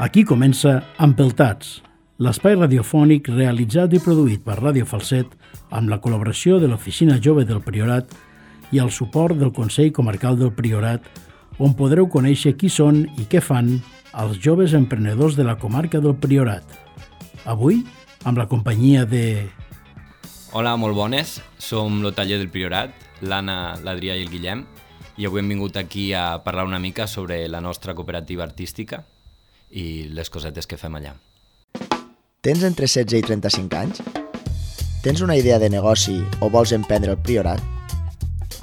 Aquí comença Empeltats, l'espai radiofònic realitzat i produït per Ràdio Falset amb la col·laboració de l'Oficina Jove del Priorat i el suport del Consell Comarcal del Priorat, on podreu conèixer qui són i què fan els joves emprenedors de la comarca del Priorat. Avui, amb la companyia de... Hola, molt bones. Som el taller del Priorat, l'Anna, l'Adrià i el Guillem, i avui hem vingut aquí a parlar una mica sobre la nostra cooperativa artística i les cosetes que fem allà. Tens entre 16 i 35 anys? Tens una idea de negoci o vols emprendre el Priorat?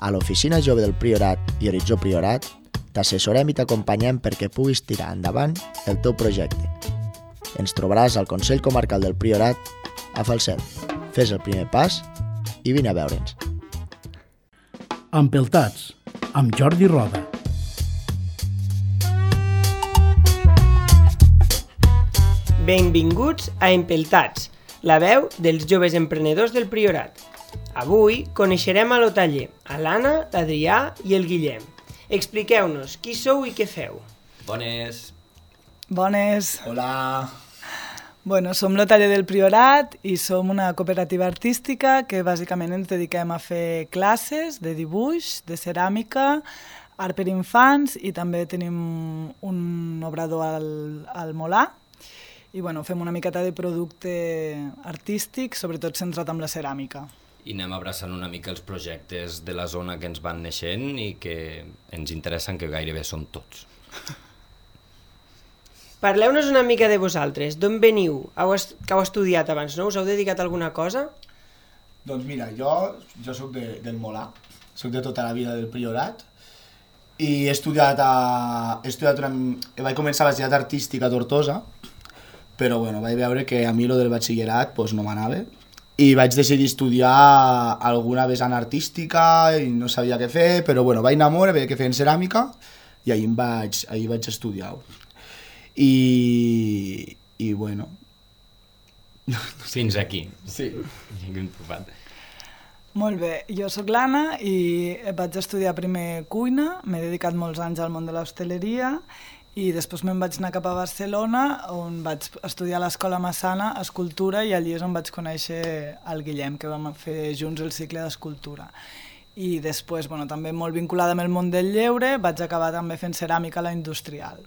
A l'Oficina Jove del Priorat i Horitzó Priorat t'assessorem i t'acompanyem perquè puguis tirar endavant el teu projecte. Ens trobaràs al Consell Comarcal del Priorat a Falset. Fes el primer pas i vine a veure'ns. Empeltats, amb Jordi Roda. Benvinguts a Empeltats, la veu dels joves emprenedors del Priorat. Avui coneixerem a lo taller, a l'Anna, l'Adrià i el Guillem. Expliqueu-nos qui sou i què feu. Bones! Bones! Hola! Bueno, som lo taller del Priorat i som una cooperativa artística que bàsicament ens dediquem a fer classes de dibuix, de ceràmica, art per infants i també tenim un obrador al Molar. I bueno, fem una miqueta de producte artístic, sobretot centrat en la ceràmica. I anem abraçant una mica els projectes de la zona que ens van naixent i que ens interessen, que gairebé són tots. Parleu-nos una mica de vosaltres. D'on veniu? Que heu estudiat abans, no? Us heu dedicat a alguna cosa? Doncs mira, jo soc del Molar, soc de tota la vida del Priorat i vaig començar a l'Estat Artística a Tortosa, però bueno, vaig veure que a mi lo del batxillerat pues, no m'anava i vaig decidir estudiar alguna vessant artística i no sabia què fer, però bueno, vaig anar molt, veia que feien ceràmica i ahir vaig estudiar. I bueno... Fins aquí. Sí. Molt bé, jo sóc l'Anna i vaig estudiar primer cuina, m'he dedicat molts anys al món de l'hostaleria i després me'n vaig anar cap a Barcelona on vaig estudiar a l'Escola Massana escultura i allí és on vaig conèixer el Guillem, que vam fer junts el cicle d'escultura. I després, bueno, també molt vinculada amb el món del lleure, vaig acabar també fent ceràmica a la industrial.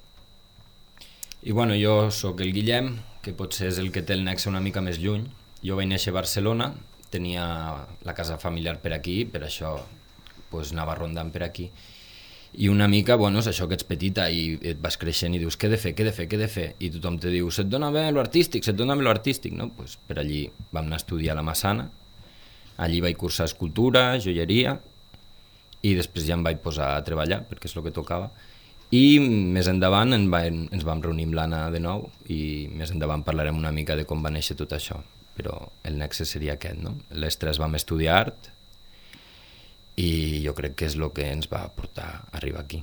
I bueno, jo sóc el Guillem, que potser és el que té el nexe una mica més lluny. Jo vaig néixer a Barcelona, tenia la casa familiar per aquí, per això pues, anava rondant per aquí. I una mica, bueno, és això que ets petita i et vas creixent i dius què he de fer? I tothom te diu, se't dona bé l'artístic, no? Pues per allí vam anar a estudiar a la Massana, allí vaig cursar escultura, joieria, i després ja em vaig posar a treballar, perquè és el que tocava. I més endavant ens vam reunir amb l'Anna de nou i més endavant parlarem una mica de com va néixer tot això, però el nexe seria aquest, no? Les tres vam estudiar art, i jo crec que és el que ens va portar a arribar aquí.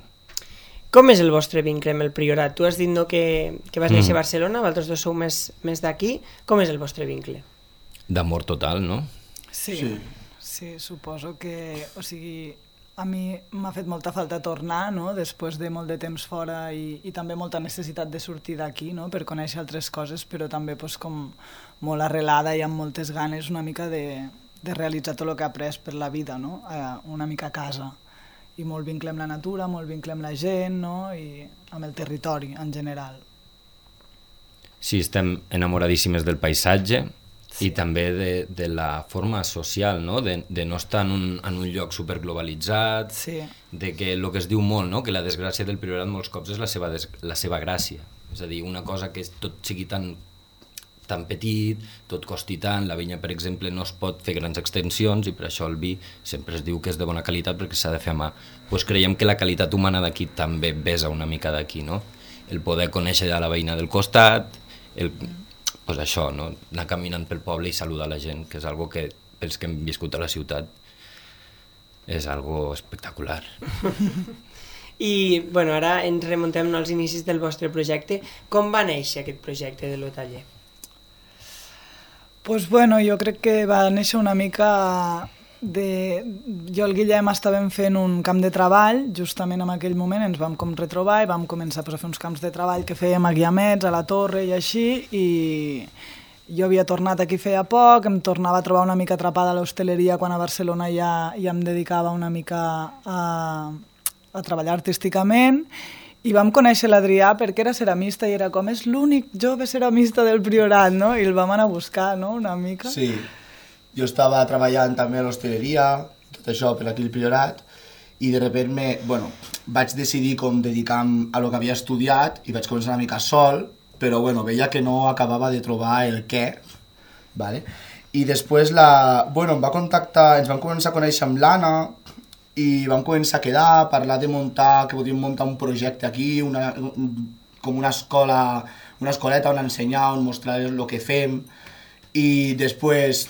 Com és el vostre vincle amb el Priorat? Tu has dit no, que vas néixer a Barcelona, vosaltres dos sou més d'aquí. Com és el vostre vincle? D'amor total, no? Sí, suposo que... O sigui, a mi m'ha fet molta falta tornar, no?, després de molt de temps fora i també molta necessitat de sortir d'aquí, no?, per conèixer altres coses, però també pues, com molt arrelada i amb moltes ganes una mica de realitzar tot el que he après per la vida, no? Una mica a casa. I molt vincle amb la natura, molt vincle amb la gent, no? I amb el territori en general. Sí, estem enamoradíssimes del paisatge i també de la forma social, no? De no estar en un lloc superglobalitzat, de que el que es diu molt, no? Que la desgràcia del Priorat molts cops és la seva gràcia. És a dir, una cosa que tot sigui tan petit, tot costi tant, la vinya, per exemple, no es pot fer grans extensions i per això el vi sempre es diu que és de bona qualitat perquè s'ha de fer a mà. Pues creiem que la qualitat humana d'aquí també besa una mica d'aquí, no? El poder conèixer la veïna del costat, pues això, no? Anar caminant pel poble i saludar la gent, que és algo que pels que hem viscut a la ciutat és algo espectacular. I bueno, ara ens remuntem als inicis del vostre projecte. Com va néixer aquest projecte de lo taller? Pues bueno, jo crec que va néixer una mica jo i el Guillem estàvem fent un camp de treball, justament en aquell moment ens vam com retrobar i vam començar a fer uns camps de treball que fèiem a Guiamets, a la Torre i així, i jo havia tornat aquí feia poc, em tornava a trobar una mica atrapada a l'hostaleria quan a Barcelona ja em dedicava una mica a treballar artísticament, i vam conèixer l'Adrià perquè era ceramista i era com, és l'únic jove ceramista del Priorat, no? I el vam anar a buscar, no?, una mica. Sí, jo estava treballant també a l'hostaleria, tot això per aquí al Priorat, i de repente vaig decidir com dedicar-me a lo que havia estudiat i vaig començar una mica sol, però veia que no acabava de trobar el què, ¿vale? I després em va contactar, ens vam començar a conèixer amb l'Anna i vam començar a quedar, a parlar de que podíem muntar un projecte aquí, com una escoleta on ensenyar, on mostrar el que fem, i després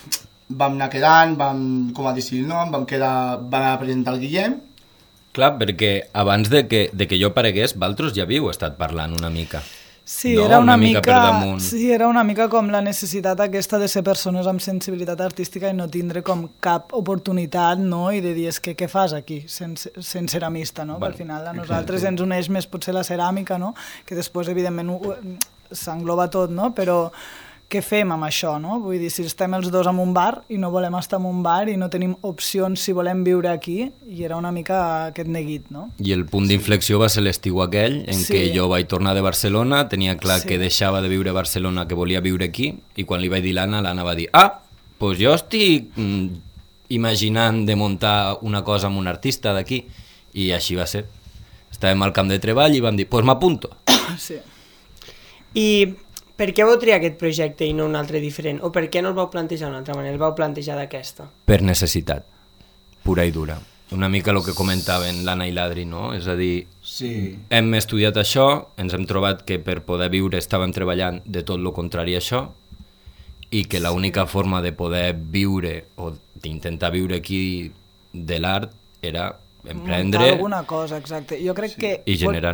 vam anar quedant, vam com a decidir el nom, vam anar a presentar el Guillem. Clar, perquè abans de que jo aparegués, vosaltres ja havíeu estat parlant una mica. Sí, no? era una mica per damunt. Sí, era una mica com la necessitat aquesta de ser persones amb sensibilitat artística i no tindre com cap oportunitat, no?, i de dir, és que què fas aquí, sent ceramista, no? Bueno, al final a nosaltres ens uneix més potser la ceràmica, no?, que després evidentment s'engloba tot, no?, però què fem amb això, no? Vull dir, si estem els dos en un bar i no volem estar en un bar i no tenim opcions si volem viure aquí, i era una mica aquest neguit, no? I el punt d'inflexió va ser l'estiu aquell, en què jo vaig tornar de Barcelona, tenia clar que deixava de viure a Barcelona, que volia viure aquí, i quan li vaig dir l'Anna va dir, doncs jo estic imaginant de muntar una cosa amb un artista d'aquí, i així va ser. Estàvem al camp de treball i vam dir, doncs m'apunto. Sí. I per què vau triar aquest projecte i no un altre diferent? O per què no el vau plantejar d'una altra manera? El vau plantejar d'aquesta? Per necessitat, pura i dura. Una mica el que comentaven l'Anna i l'Adri, no? És a dir, hem estudiat això, ens hem trobat que per poder viure estàvem treballant de tot el contrari a això, i que l'única forma de poder viure o d'intentar viure aquí de l'art era emprendre... Muntar alguna cosa, exacte. Jo crec que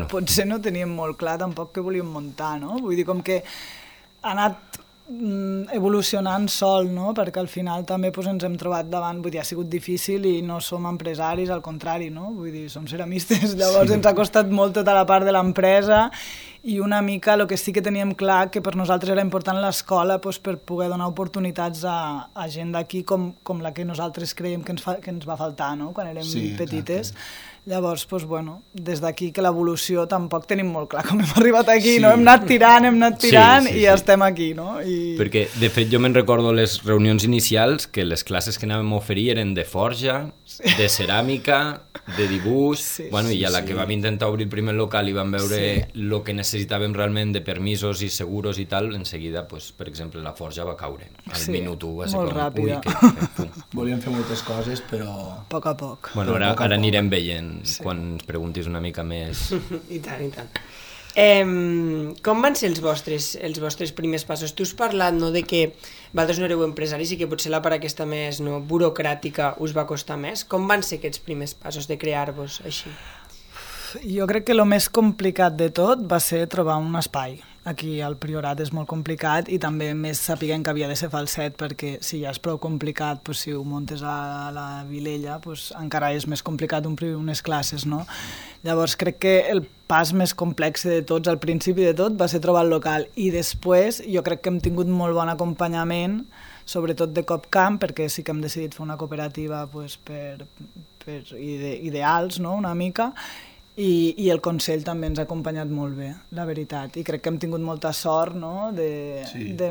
potser no teníem molt clar tampoc què volíem muntar, no? Vull dir, com que ha anat evolucionant sol, no? Perquè al final també ens hem trobat davant, vull dir, ha sigut difícil i no som empresaris, al contrari, no? Vull dir, som ceramistes, llavors ens ha costat molt tota la part de l'empresa i una mica el que sí que teníem clar que per nosaltres era important l'escola per poder donar oportunitats a gent d'aquí com la que nosaltres creiem que ens va faltar, no? Quan érem petites. Exacte. Llavors, des d'aquí que l'evolució tampoc tenim molt clar com hem arribat aquí, no? Hem anat tirant i ja estem aquí, no? Perquè, de fet, jo me'n recordo les reunions inicials que les classes que anàvem a oferir eren de forja, de ceràmica, de dibuix, i a la que vam intentar obrir el primer local i vam veure el que necessitàvem realment de permisos i seguros i tal, en seguida, per exemple, la forja va caure. Al minut 1 va ser molt ràpida. Volíem fer moltes coses, però... A poc a poc. Bueno, ara anirem veient quan ens preguntis una mica més. I tant, i tant. Com van ser els vostres primers passos? Tu has parlat de que vosaltres no éreu empresaris i que potser la part aquesta més burocràtica us va costar més. Com van ser aquests primers passos de crear-vos així? Jo crec que el més complicat de tot va ser trobar un espai. Aquí al Priorat és molt complicat i també més sapiguem que havia de ser falset perquè si ja és prou complicat, si ho muntes a la Vilella, encara és més complicat omplir unes classes, no? Llavors crec que el pas més complex de tots, al principi de tot, va ser trobar el local i després jo crec que hem tingut molt bon acompanyament, sobretot de Copcamp, perquè sí que hem decidit fer una cooperativa per ideals, no? Una mica, i el Consell també ens ha acompanyat molt bé, la veritat, i crec que hem tingut molta sort, no? de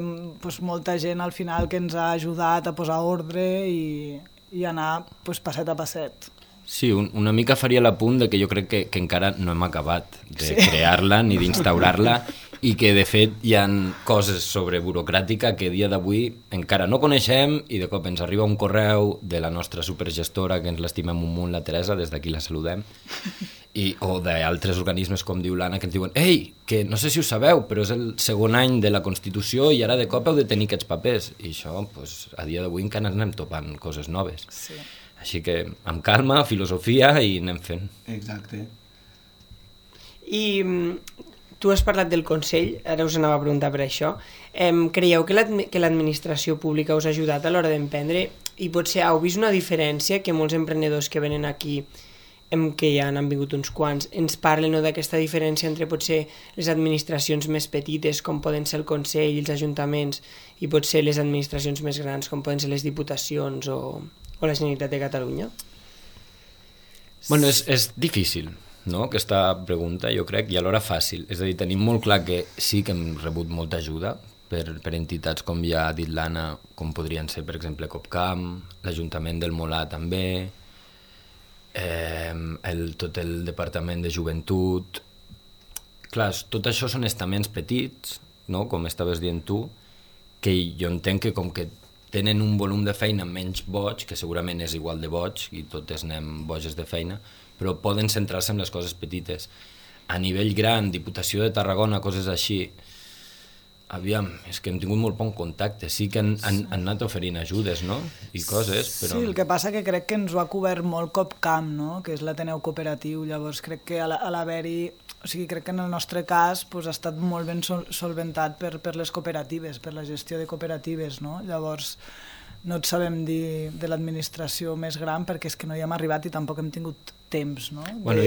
molta gent al final que ens ha ajudat a posar ordre i anar passet a passet. Sí, una mica faria l'apunt de que jo crec que encara no hem acabat de crear-la ni d'instaurar-la i que de fet hi ha coses sobre burocràtica que a dia d'avui encara no coneixem i de cop ens arriba un correu de la nostra supergestora, que ens l'estimem un munt, la Teresa, des d'aquí la saludem, o d'altres organismes com diu l'Anna que ens diuen «Ei, que no sé si ho sabeu, però és el segon any de la Constitució i ara de cop heu de tenir aquests papers». I això, a dia d'avui encara anem topant coses noves. Sí. Així que amb calma, filosofia i anem fent. Exacte. I tu has parlat del Consell, ara us anava a preguntar per això. Creieu que l'administració pública us ha ajudat a l'hora d'emprendre potser heu vist una diferència que molts emprenedors que venen aquí, que ja han vingut uns quants, ens parlen d'aquesta diferència entre potser les administracions més petites, com poden ser el Consell i els ajuntaments, i potser les administracions més grans, com poden ser les diputacions o la Generalitat de Catalunya? Bueno, és difícil, no?, aquesta pregunta, jo crec, i alhora fàcil. És a dir, tenim molt clar que sí que hem rebut molta ajuda per entitats, com ja ha dit l'Anna, com podrien ser, per exemple, Copcam, l'Ajuntament del Molar també, tot el Departament de Joventut. Clar, tot això són estaments petits, no?, com estaves dient tu, que jo entenc que com que tenen un volum de feina menys boig, que segurament és igual de boig, i totes anem boges de feina, però poden centrar-se en les coses petites. A nivell gran, Diputació de Tarragona, coses així, aviam, és que hem tingut molt bon contacte, sí que han anat oferint ajudes, no?, i coses, però... Sí, el que passa que crec que ens ho ha cobert molt Copcam, no?, que és l'Ateneu Cooperatiu, llavors crec que a l'haver-hi... O sigui, crec que en el nostre cas ha estat molt ben solventat per les cooperatives, per la gestió de cooperatives, no? Llavors, no et sabem dir de l'administració més gran perquè és que no hi hem arribat i tampoc hem tingut temps, no? Bueno,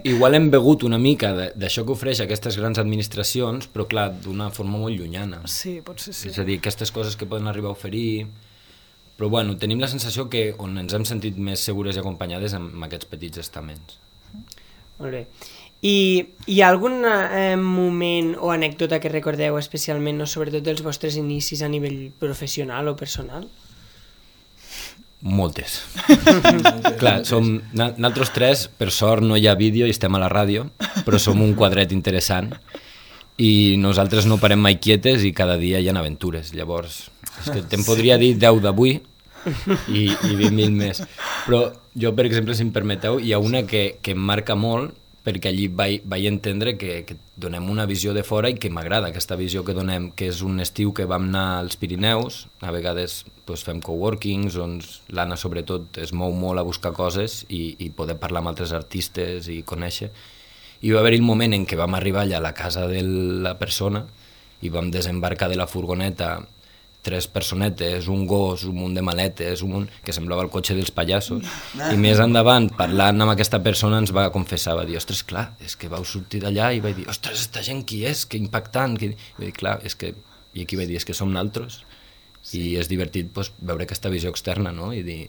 igual hem begut una mica d'això que ofereix aquestes grans administracions, però clar, d'una forma molt llunyana. Sí, potser sí. És a dir, aquestes coses que poden arribar a oferir... Però bueno, tenim la sensació que on ens hem sentit més segures i acompanyades amb aquests petits estaments. Molt bé. I hi ha algun moment o anècdota que recordeu especialment, no, sobretot dels vostres inicis a nivell professional o personal? Moltes. Clar, nosaltres tres, per sort no hi ha vídeo i estem a la ràdio, però som un quadret interessant i nosaltres no parem mai quietes i cada dia hi ha aventures. Llavors, és que te'n podria dir 10 d'avui i 20.000 més. Però jo, per exemple, si em permeteu, hi ha una que em marca molt, perquè allí vaig entendre que donem una visió de fora i que m'agrada aquesta visió que donem, que és un estiu que vam anar als Pirineus, a vegades fem coworkings, on l'Anna sobretot es mou molt a buscar coses i poder parlar amb altres artistes i conèixer. I va haver-hi el moment en què vam arribar allà a la casa de la persona i vam desembarcar de la furgoneta 3 personetes, un gos, un munt de maletes, que semblava el cotxe dels pallassos, i més endavant, parlant amb aquesta persona, ens va confessar, va dir, ostres, clar, és que vau sortir d'allà, i vaig dir, ostres, esta gent qui és? Que impactant! I vaig dir, clar, és que... I aquí vaig dir, és que som naltros, i és divertit veure aquesta visió externa, no?, i dir,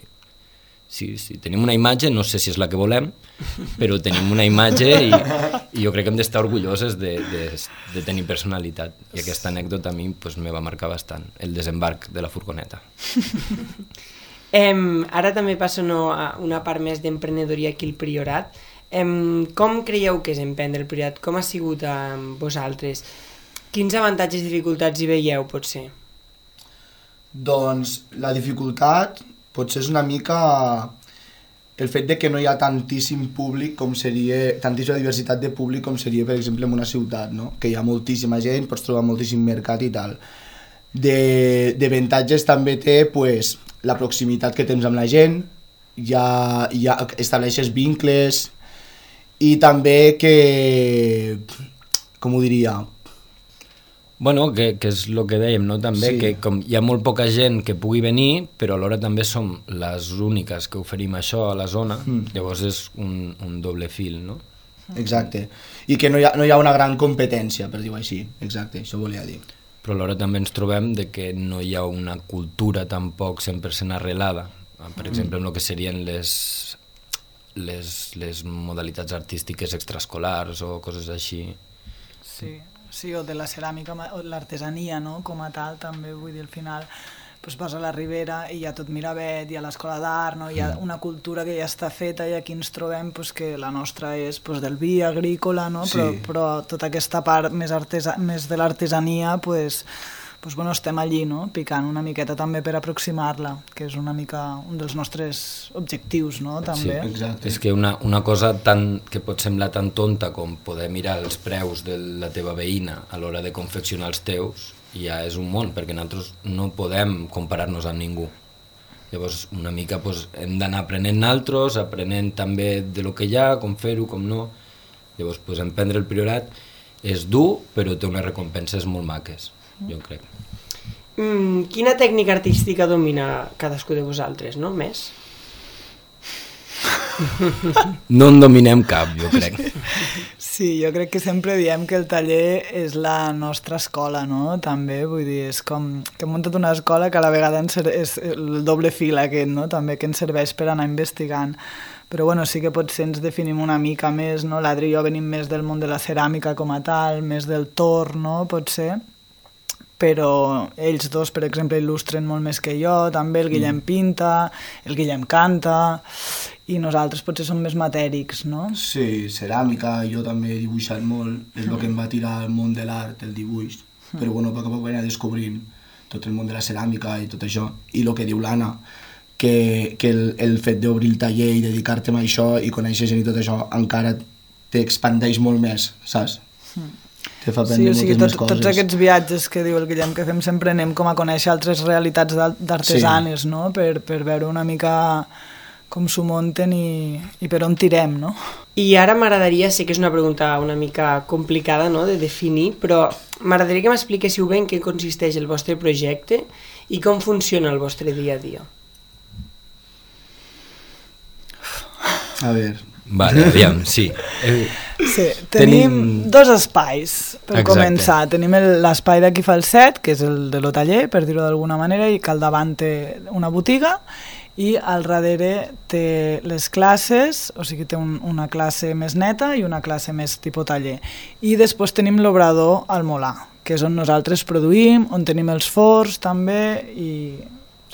sí, tenim una imatge, no sé si és la que volem, però tenim una imatge i jo crec que hem d'estar orgulloses de tenir personalitat. I aquesta anècdota a mi me va marcar bastant, el desembarc de la furgoneta. Ara també passo a una part més d'emprenedoria aquí al Priorat. Com creieu que és emprendre el Priorat? Com ha sigut amb vosaltres? Quins avantatges i dificultats hi veieu, potser? Doncs la dificultat potser és una mica el fet de que no hi ha tantíssim públic com seria, tantíssima diversitat de públic com seria, per exemple, en una ciutat, no? Que hi ha moltíssima gent, pots trobar moltíssim mercat i tal. D'avantatges també té la proximitat que tens amb la gent, ja estableixes vincles i també que, com ho diria... Bueno, que és el que dèiem, no? També sí. Que com hi ha molt poca gent que pugui venir, però alhora també som les úniques que oferim això a la zona, llavors és un doble fil, no? Exacte, i que no hi ha una gran competència, per dir-ho així, exacte, això volia dir. Però alhora també ens trobem de que no hi ha una cultura tampoc 100% arrelada, per exemple, en el que serien les modalitats artístiques extraescolars o coses així. Sí, o de la ceràmica, o l'artesania, no?, com a tal, també, vull dir, al final vas a la Ribera i hi ha tot Miravet, hi ha l'escola d'art, no? Hi ha una cultura que ja està feta i aquí ens trobem que la nostra és del vi agrícola, no? Sí. Però tota aquesta part més de l'artesania, estem allí, no?, picant una miqueta també per aproximar-la, que és una mica un dels nostres objectius, no?, també. Sí, exacte. És que una cosa que pot semblar tan tonta com poder mirar els preus de la teva veïna a l'hora de confeccionar els teus, ja és un món, perquè nosaltres no podem comparar-nos amb ningú. Llavors, una mica hem d'anar aprenent nosaltres, aprenent també de lo que hi ha, com fer-ho, com no. Llavors, emprendre el Priorat és dur, però té unes recompenses molt maques, jo crec. Quina tècnica artística domina cadascú de vosaltres, no? Més? No en dominem cap, jo crec. Sí, jo crec que sempre diem que el taller és la nostra escola, no? També, vull dir, és com que hem muntat una escola que a la vegada és el doble fil aquest, no? També que ens serveix per anar investigant. Però bueno, sí que potser ens definim una mica més, no? L'Adri i jo venim més del món de la ceràmica com a tal, més del torn, no? Potser. Però ells dos, per exemple, il·lustren molt més que jo, també el Guillem pinta, el Guillem canta, i nosaltres potser som més matèrics, no? Sí, ceràmica, jo també he dibuixat molt, és el que em va tirar al món de l'art, el dibuix, però bueno, a poc a poc vaig anar descobrint tot el món de la ceràmica i tot això, i el que diu l'Anna, que el fet d'obrir el taller i dedicar-te a això i conèixer gent i tot això encara t'expandeix molt més, saps? Te fa aprendre moltes més coses. Tots aquests viatges que diu el Guillem que fem sempre anem com a conèixer altres realitats d'artesanes, sí, no? Per veure una mica com s'ho munten i per on tirem, no? I ara m'agradaria, sé que és una pregunta una mica complicada, no?, de definir, però m'agradaria que m'expliquéssiu bé en què consisteix el vostre projecte i com funciona el vostre dia a dia. A veure... Vale, aviam, sí. Sí, tenim dos espais per començar. Tenim l'espai d'aquí Falset, que és el de lo taller, per dir-ho d'alguna manera, i que al davant té una botiga, i al darrere té les classes, o sigui, té una classe més neta i una classe més tipus taller. I després tenim l'obrador al Molà, que és on nosaltres produïm, on tenim els forns també, i...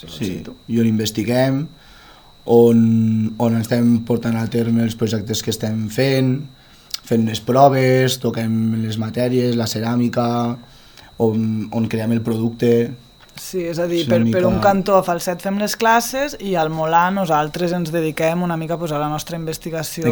Sí, i on investiguem, on estem portant a terme els projectes que estem fent les proves, toquem les matèries, la ceràmica, on creem el producte... Sí, és a dir, per un cantó a Falset fem les classes i al Molà nosaltres ens dediquem una mica a la nostra investigació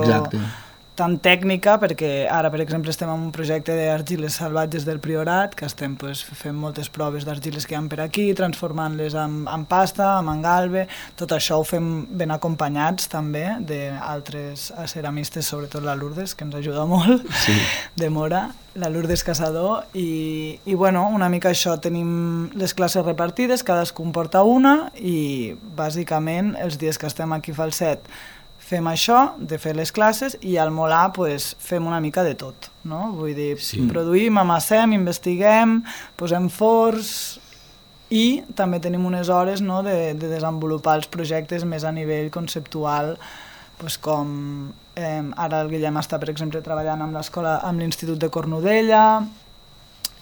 tan tècnica, perquè ara, per exemple, estem en un projecte d'argiles salvatges del Priorat, que estem fent moltes proves d'argiles que hi ha per aquí, transformant-les en pasta, en engalbe, tot això ho fem ben acompanyats també d'altres ceramistes, sobretot la Lourdes, que ens ajuda molt, sí, de Mora, la Lourdes Caçador, i bueno, una mica això, tenim les classes repartides, cadascú en porta una, i bàsicament els dies que estem aquí a Falset fem això, de fer les classes, i al Molà fem una mica de tot, no? Vull dir, sí, produïm, amassem, investiguem, posem forns, i també tenim unes hores, no, de desenvolupar els projectes més a nivell conceptual, com ara el Guillem està, per exemple, treballant amb l'escola, amb l'Institut de Cornudella,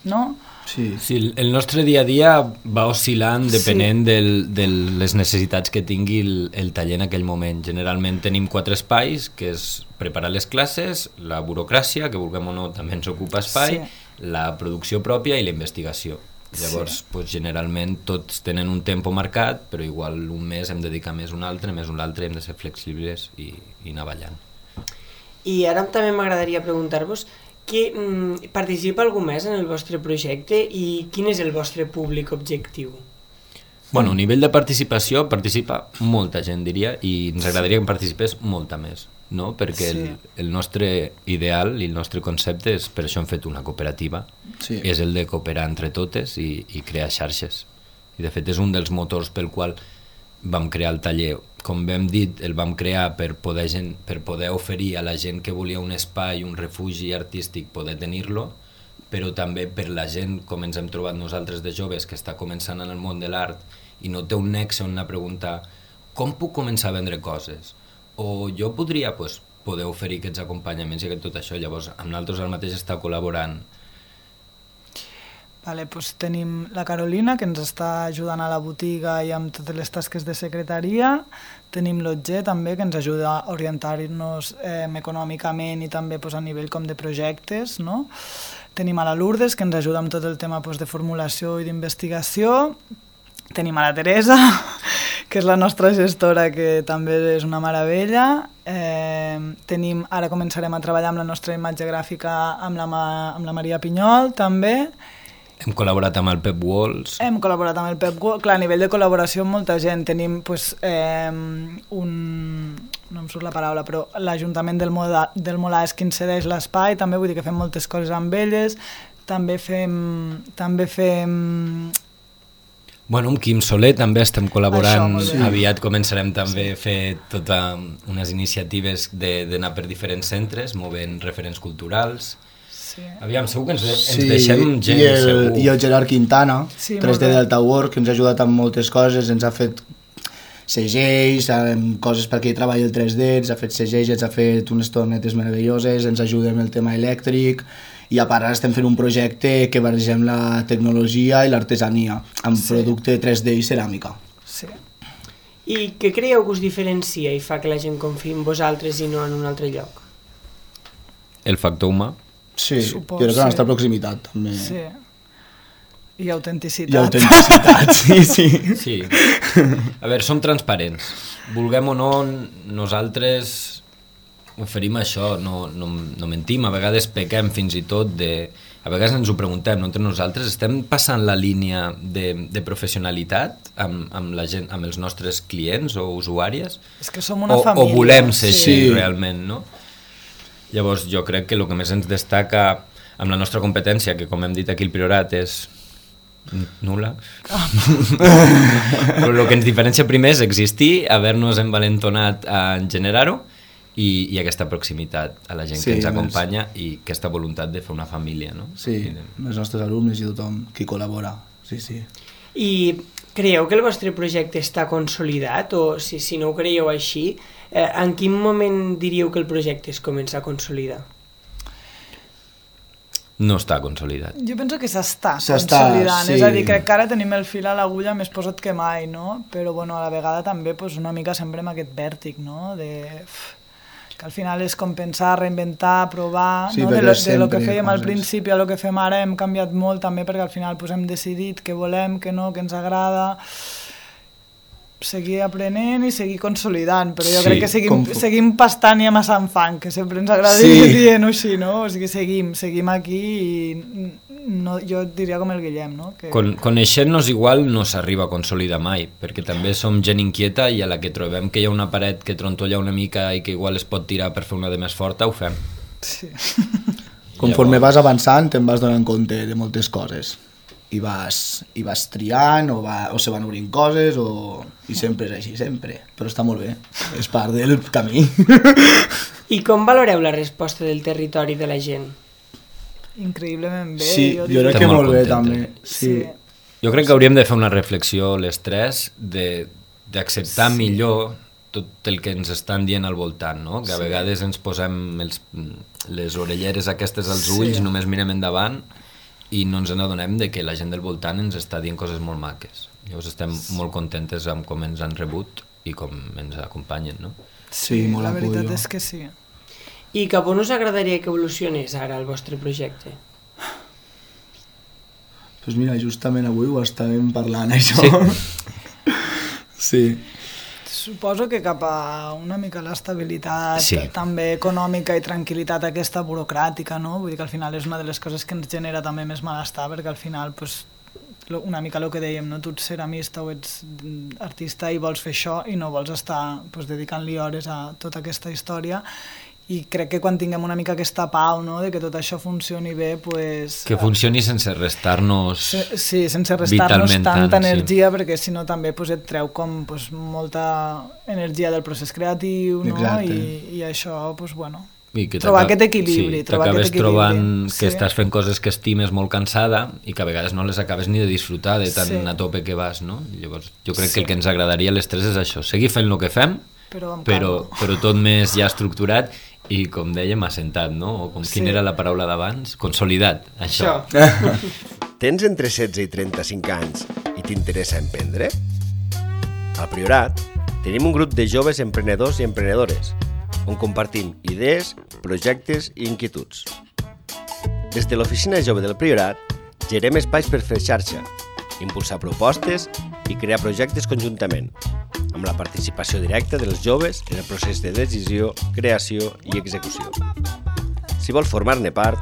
no? Sí, el nostre dia a dia va oscil·lant depenent de les necessitats que tingui el taller en aquell moment. Generalment tenim 4 espais, que és preparar les classes, la burocràcia, que vulguem o no també ens ocupa espai, la producció pròpia i la investigació. Llavors, generalment tots tenen un tempo marcat, però igual un mes hem de dedicar més un altre, més un altre, hem de ser flexibles i anar ballant. I ara també m'agradaria preguntar-vos que participa algú més en el vostre projecte i quin és el vostre públic objectiu? Bueno, a nivell de participació participa molta gent, diria, i ens agradaria que participés molta més, no? Perquè el nostre ideal i el nostre concepte és, per això hem fet una cooperativa, és el de cooperar entre totes i crear xarxes. I de fet és un dels motors pel qual vam crear el taller. Com hem dit, el vam crear per poder oferir a la gent que volia un espai, un refugi artístic, poder tenir-lo, però també per la gent, com ens hem trobat nosaltres de joves, que està començant en el món de l'art i no té un nexe on anar a preguntar com puc començar a vendre coses? O jo podria poder oferir aquests acompanyaments i tot això. Llavors, amb nosaltres el mateix està col·laborant. Tenim la Carolina, que ens està ajudant a la botiga i amb totes les tasques de secretaria. Tenim l'Otger, també, que ens ajuda a orientar-nos econòmicament i també a nivell com de projectes, no? Tenim a la Lourdes, que ens ajuda amb tot el tema de formulació i d'investigació. Tenim a la Teresa, que és la nostra gestora, que també és una meravella. Ara començarem a treballar amb la nostra imatge gràfica amb la Maria Pinyol, també. Hem col·laborat amb el Pep Walls. Hem col·laborat amb el Pep Walls. Clar, a nivell de col·laboració amb molta gent. Tenim no em surt la paraula, però l'Ajuntament del Molà és qui ens cedeix l'espai, també vull dir que fem moltes coses amb elles. També fem Bueno, amb Quim Soler també estem col·laborant, Això, aviat començarem també a fer totes unes iniciatives d'anar per diferents centres, movent referents culturals. Sí. Aviam, segur que ens deixem gent, segur. I el Gerard Quintana, Sí, 3D Delta Work, que ens ha ajudat amb moltes coses, ens ha fet segells, coses perquè hi treballi el 3D, ens ha fet segells, ens ha fet unes tornetes meravelloses, ens ajuda amb el tema elèctric, i a part ara estem fent un projecte que barregem la tecnologia i l'artesania amb producte 3D i ceràmica. Sí. I què creieu que us diferencia i fa que la gent confiï en vosaltres i no en un altre lloc? El factor humà. Sí, Supos, jo crec que la nostra sí. proximitat també. Sí. I autenticitat. I autenticitat, sí. Sí. A veure, som transparents. Vulguem o no, nosaltres oferim això, no mentim, a vegades pequem fins i tot de... A vegades ens ho preguntem, no? Entre nosaltres estem passant la línia de professionalitat amb la gent, amb els nostres clients o usuàries? És que som una família. O volem ser així Sí. realment, no? Llavors jo crec que el que més ens destaca amb la nostra competència, que com hem dit aquí al Priorat és nul·la, però el que ens diferencia primer és existir, haver-nos envalentonat en generar-ho i aquesta proximitat a la gent Sí, que ens més. acompanya i aquesta voluntat de fer una família, no? Sí, els nostres alumnes i tothom qui col·labora, sí, sí. I creieu que el vostre projecte està consolidat o si no ho creieu així, en quin moment diríeu que el projecte es comença a consolidar? No està consolidat. Jo penso que s'està S'està, consolidant, sí. és a dir, crec que ara tenim el fil a l'agulla més posat que mai, no? Però bueno, a la vegada també pues, una mica sempre amb aquest vèrtic, no? Que al final és com pensar, reinventar, provar, Sí, no? perquè de lo sempre que fèiem al coses. principi a lo que fem ara hem canviat molt també perquè al final pues, hem decidit què volem, què no, què ens agrada, seguir aprenent i seguir consolidant, però jo Sí, crec que seguim pastant i amassant fang, que sempre ens agrada Sí. dir-ho així, no? O sigui, seguim aquí i no, jo diria com el Guillem, no? Que... Coneixent-nos igual no s'arriba a consolidar mai, perquè també som gent inquieta i a la que trobem que hi ha una paret que trontolla una mica i que igual es pot tirar per fer una de més forta, ho fem. Sí. Conforme vas avançant te'n vas donant compte de moltes coses i vas triant o se van obrint coses i sempre és així, sempre, però està molt bé, és part del camí. I com valoreu la resposta del territori de la gent? Increïblement bé. Sí, jo diria. crec Estem que molt molt bé contentes. també. Sí. Jo crec que hauríem de fer una reflexió les tres d'acceptar millor tot el que ens estan dient al voltant, no? Que a vegades ens posem les orelleres aquestes als ulls, només mirem endavant i no ens n'adonem de que la gent del voltant ens està dient coses molt maques. Llavors estem molt contentes amb com ens han rebut i com ens acompanyen, no? Sí, molt la veritat apoyo. és que sí. I cap on us agradaria que evolucionés ara el vostre projecte? Pues mira, justament avui ho estàvem parlant, això. Sí. Suposo que cap a una mica l'estabilitat Sí. també econòmica i tranquil·litat aquesta burocràtica, no? Vull dir que al final és una de les coses que ens genera també més malestar, perquè al final pues, una mica el que dèiem, no? Tu ets ceramista o ets artista i vols fer això i no vols estar pues, dedicant-li hores a tota aquesta història, i crec que quan tinguem una mica aquesta pau, no? De que tot això funcioni bé, pues, Que funcioni sense restar-nos sí, sense restar-nos vitalment tanta tant, sí. energia, perquè si no també pues, et treu com pues, molta energia del procés creatiu, no? Exacte. I això, pues, bueno, I que trobar t'aca- aquest equilibri, sí, trobar t'acabes aquest equilibri. trobant que Sí. estàs fent coses que estimes molt cansada i que a vegades no les acabes ni de disfrutar de tan Sí. a tope que vas, no? I llavors jo crec que el que ens agradaria a les tres és això, seguir fent el que fem, però amb però calma. tot més ja estructurat i, com dèiem, assentat, no? O com quina era la paraula d'abans? Consolidat, això. Tens entre 16 i 35 anys i t'interessa emprendre? Al Priorat tenim un grup de joves emprenedors i emprenedores on compartim idees, projectes i inquietuds. Des de l'Oficina Jove del Priorat gerem espais per fer xarxa, impulsar propostes i crear projectes conjuntament, amb la participació directa dels joves en el procés de decisió, creació i execució. Si vols formar-ne part,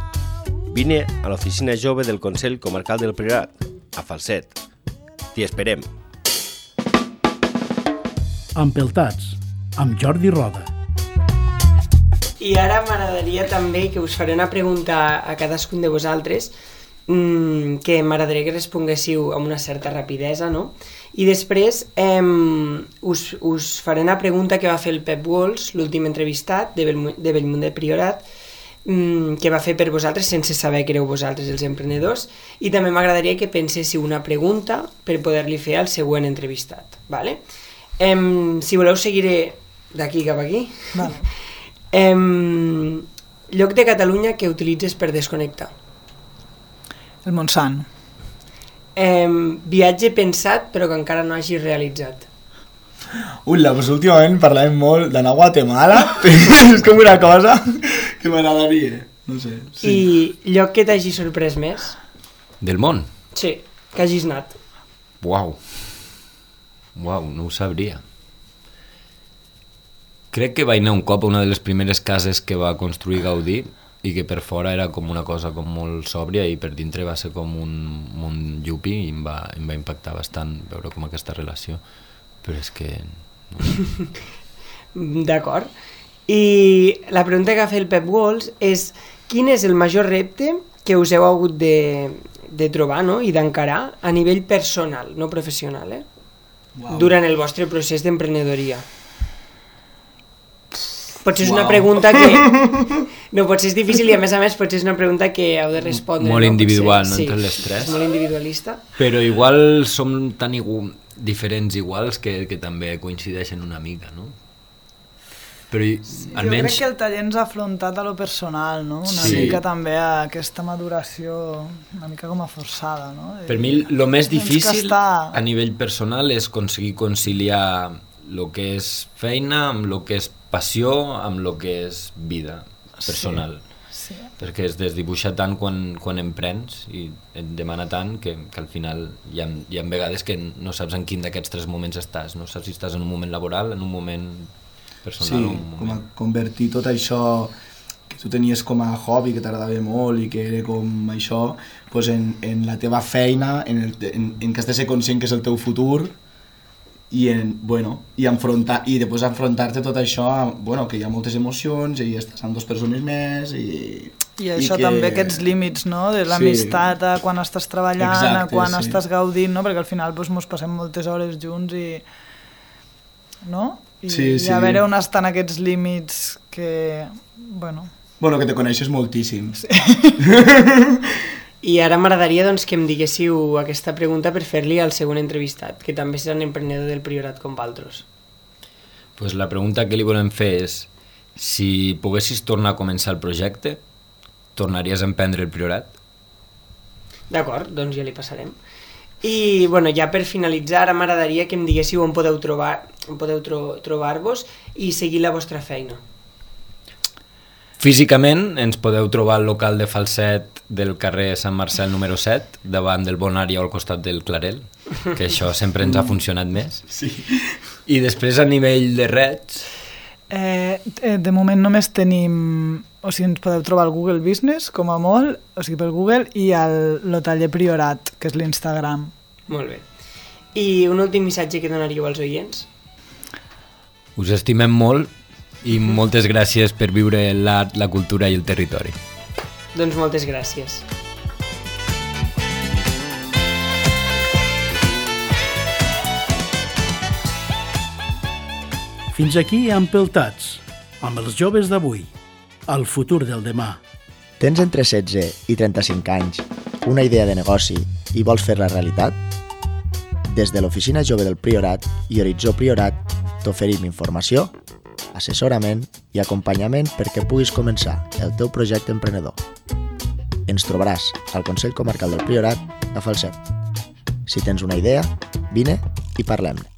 vine a l'Oficina Jove del Consell Comarcal del Priorat, a Falset. T'hi esperem. Empeltats, amb Jordi Roda. I ara m'agradaria també que us faré una pregunta a cadascun de vosaltres que m'agradaria que responguéssiu amb una certa rapidesa, no? I després us faré una pregunta que va fer el Pep Walsh, l'últim entrevistat de Bellmunt del Priorat, que va fer per vosaltres sense saber que éreu vosaltres els emprenedors, i també m'agradaria que penséssiu una pregunta per poder-li fer al següent entrevistat, ¿vale? Si voleu seguiré d'aquí cap aquí. Vale. Lloc de Catalunya que utilitzes per desconnectar. El Montsant. Viatge pensat però que encara no hagis realitzat. Pues últimament parlàvem molt d'anar a Guatemala. És com una cosa que m'agradaria. No sé. Sí. I lloc que t'hagi sorprès més? Del món? Sí, que hagis anat. Uau, no ho sabria. Crec que vaig anar un cop a una de les primeres cases que va construir Gaudí i que per fora era com una cosa com molt sòbria i per dintre va ser com un món llupi i em va impactar bastant veure com aquesta relació, però és que... No. D'acord. I la pregunta que ha fet el Pep Walsh és quin és el major repte que us heu hagut de trobar, no? I d'encarar a nivell personal, no professional, durant el vostre procés d'emprenedoria? Potser és una pregunta que... No, potser és difícil i a més potser és una pregunta que heu de respondre. Molt individual, no? Sí, entre les tres. És molt individualista. Però igual som tan diferents iguals que també coincideixen una mica, no? Però almenys... Jo crec que el taller ens ha afrontat a lo personal, no? Una mica també a aquesta maduració una mica com a forçada, no? Per mi el més difícil a nivell personal és aconseguir conciliar el que és feina amb el que és passió, amb el que és vida personal. Sí. Perquè es desdibuixa tant quan emprens i et demana tant que al final hi ha vegades que no saps en quin d'aquests tres moments estàs. No saps si estàs en un moment laboral, en un moment personal. Sí, com a convertir tot això que tu tenies com a hobby, que t'agradava molt i que era com això, pues en la teva feina, en que has de ser conscient que és el teu futur i després enfrontar-te tot això, que hi ha moltes emocions i estàs amb dues persones més i això també, aquests límits, no? De l'amistat a quan estàs treballant, a quan estàs gaudint, no? Perquè al final mos passem moltes hores junts i... no? I a veure on estan aquests límits que... que te coneixes moltíssim. Sí. I ara m'agradaria doncs, que em diguéssiu aquesta pregunta per fer-li al següent entrevistat, que també serà un emprenedor del Priorat com vosaltres. Pues la pregunta que li volem fer és si poguessis tornar a començar el projecte, tornaries a emprendre el Priorat? D'acord, doncs ja li passarem. I ja per finalitzar, ara m'agradaria que em diguéssiu on podeu trobar-vos i seguir la vostra feina. Físicament ens podeu trobar al local de Falset del carrer Sant Marcel número 7, davant del Bonària o al costat del Clarel, que això sempre ens ha funcionat més. Sí. I després a nivell de reds... De moment només tenim... O sigui, ens podeu trobar al Google Business, com a molt, o sigui, pel Google, i al taller Priorat, que és l'Instagram. Molt bé. I un últim missatge que donaríeu als oients? Us estimem molt i moltes gràcies per viure l'art, la cultura i el territori. Doncs moltes gràcies. Fins aquí Empeltats, amb els joves d'avui, el futur del demà. Tens entre 16 i 35 anys, una idea de negoci i vols fer-la realitat? Des de l'Oficina Jove del Priorat i Horitzó Priorat t'oferim informació, assessorament i acompanyament perquè puguis començar el teu projecte emprenedor. Ens trobaràs al Consell Comarcal del Priorat a Falset. Si tens una idea, vine i parlem-ne.